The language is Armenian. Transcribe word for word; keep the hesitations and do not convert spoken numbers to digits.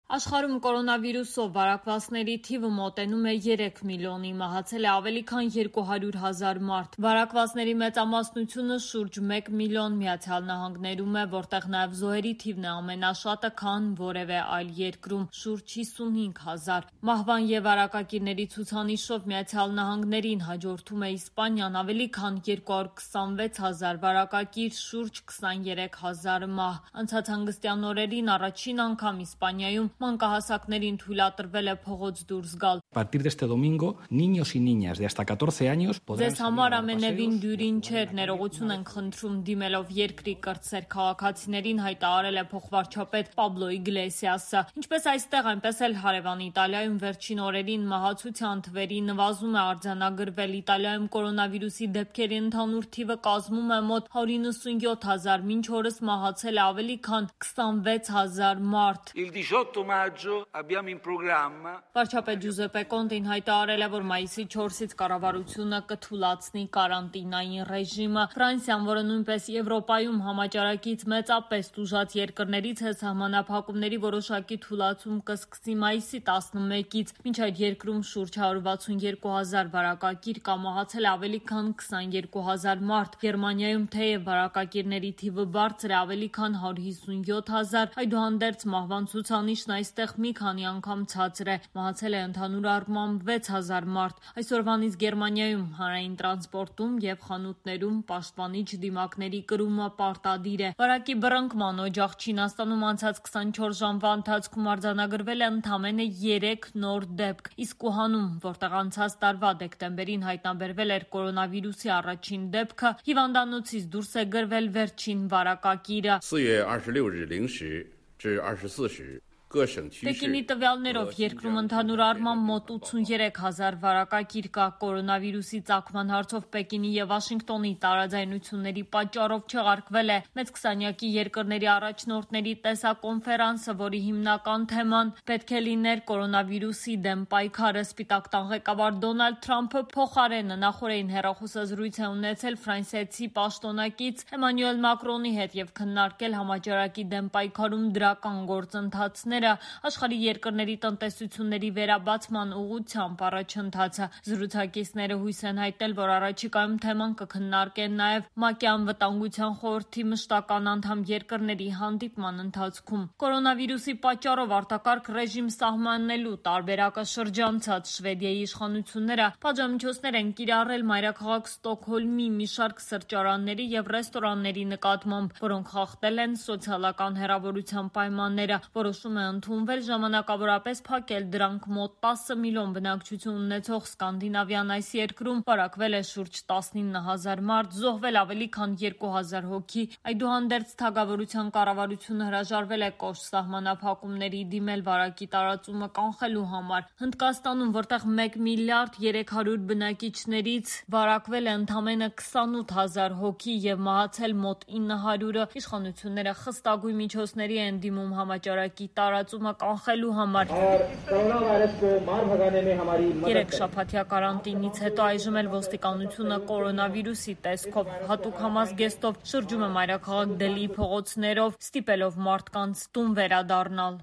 Աշխարհում կորոնավիրուսով վարակվածների թիվը մոտենում է երեք միլիոնի, մահացել է ավելի քան երկու հարյուր հազար մարդ։ Վարակվածների մեծամասնությունը շուրջ մեկ միլիոն Միացյալ Նահանգներում է, որտեղ նաև զոհերի թիվն է ամենաշատը, քան որևէ այլ երկրում՝ շուրջ հիսունհինգ հազար։ Մահվան և վարակակիրների ցուցանիշով Միացյալ Նահանգներին հաջորդում է Իսպանիան՝ ավելի քան երկու հարյուր քսանվեց հազար վարակակիր, շուրջ քսաներեք հազար մահ։ Անցած հանգստյան օրերին առաջին անգամ Իսպանիայում մանկահասակներին թույլատրվել է փողոց դուրս գալ։ Ձեզ համար ամենևին դյուրին չէր, ներողություն ենք խնդրում, դիմելով երկրի կրտսեր քաղաքացիներին, հայտարարել է փոխվարչապետ Պաբլո Իգլեսիասը։ Ինչպես այստեղ, այնպես էլ հարևան Իտալիայում վերջին օրերին մահացության թվերի նվազում է արձանագրվել։ Իտալիայում կորոնավիրուսի դեպքերի ընդհանուր թիվը կազմում է մոտ հարյուր նվսունյոթ հազար, մինչ օրս մահացել է ավելի քան քսանվեց հազար մարդ։ Վարչապետ Ջուզեպե Կոնտին հայտարարել է, որ մայիսի չորսից կառավարությունը կթուլացնի կարանտինային ռեժիմը։ Ֆրանսիան, որը նույնպես Եվրոպայում համաճարակից մեծապես տուժած երկրներից է, սահմանափակումների որոշակի թուլացում կսկսի մայիսի տասնմեկից։ Մինչ այդ երկրում շուրջ հարյուր վաթսունյերկու հազար վարակակիր կա, մահացել է ավելի քան քսաներկու հազար մարդ։ Գերմանիայում թեև վարակակիրների թիվը բարձր է, ավելի քան հարյուր հիսունյոթ հազար, այդուհանդերձ մահվան ցուցանիշն այստեղ մի քանի անգամ ցածր է։ Մահացել է ընդհանուր առմամբ վեց հազար մարդ։ Այսօրվանից Գերմանիայում հանրային տրանսպորտում և խանութներում պաշտպանիչ դիմակների կրումը պարտադիր է։ Վարակի բռնկման օջախ Չինաստանում անցած քսանչորս ժամվա ընթացքում արձանագրվել է ընդամենը երեք նոր դեպք, իսկ Ուհանում, որտեղ անցած տարվա դեկտեմբերին հայտնաբերվել էր կորոնավիրուսի առաջին դեպքը, հիվանդանոցից դուրս է գրվել վերջին վարակակիրը։ Պեկինի տվյալներով երկրում ընդհանուր առմամբ մոտ ութսուներեք հազար վարակակիր կա։ Կորոնավիրուսի ծագման հարցով Պեկինի և Վաշինգտոնի տարաձայնությունների պատճառով չեղարկվել է մեծ քսանյակի երկրների առաջնորդների տեսակոնֆերանսը, որի հիմնական թեման պետք է լիներ կորոնավիրուսի դեմ պայքարը։ Սպիտակ տան ղեկավար Դոնալդ Թրամփը փոխարենը նախօրեին հեռախոսազրույց է ունեցել ֆրանսիացի պաշտոնակից Էմանուել Մակրոնի հետ և քննարկել համաճարակի դեմ պայքարում դրական գործընթացները, աշխարհի երկրների տնտեսությունների վերաբացման ուղղությամբ առաջընթացը։ Զրուցակիցները հույս են հայտնել, որ առաջիկայում թեման կքննարկեն նաև ՄԱԿ-ի անվտանգության խորհրդի մշտական անդամ երկրների հանդիպման ընթացքում։ Կորոնավիրուսի պատճառով արտակարգ ռեժիմ սահմանելու տարբերակը շրջանցած Շվեդիայի իշխանությունները պատժամիջոցներ են կիրառել մայրաքաղաք Ստոկհոլմի մի շարք սրճարանների և ռեստորանների նկատմամբ, որոնք խախտել են սոցիալական հեռավորության պայմանները։ Որոշում է ընդունվել ժամանակավորապես փակել դրանք։ Մոտ տասը միլիոն բնակչություն ունեցող Սկանդինավյան այս երկրում վարակվել է շուրջ տասնինը հազար մարդ, զոհվել ավելի քան երկու հազար հոգի։ Այդուհանդերձ Թագավորության կառավարությունը հրաժարվել է կոշտ սահմանափակումների դիմել վարակի տարածումը կանխելու համար։ Հնդկաստանում, որտեղ մեկ միլիարդ երեք հարյուր բնակիչներից վարակվել է ընդամենը քսանութ հազար հոգի և մահացել մոտ ինը հարյուրը, իշխանությունները խստագույն միջոցների են դիմում համաճարակի տարածումը կանխելու համար։ Երեքշաբաթյա կարանտինից հետո այժմ էլ ոստիկանությունը կորոնավիրուսի տեսքով հատուկ համազգեստով շրջում է մայրաքաղաք Դելիի փողոցներով, ստիպելով մարդկանց տուն վերադառնալ։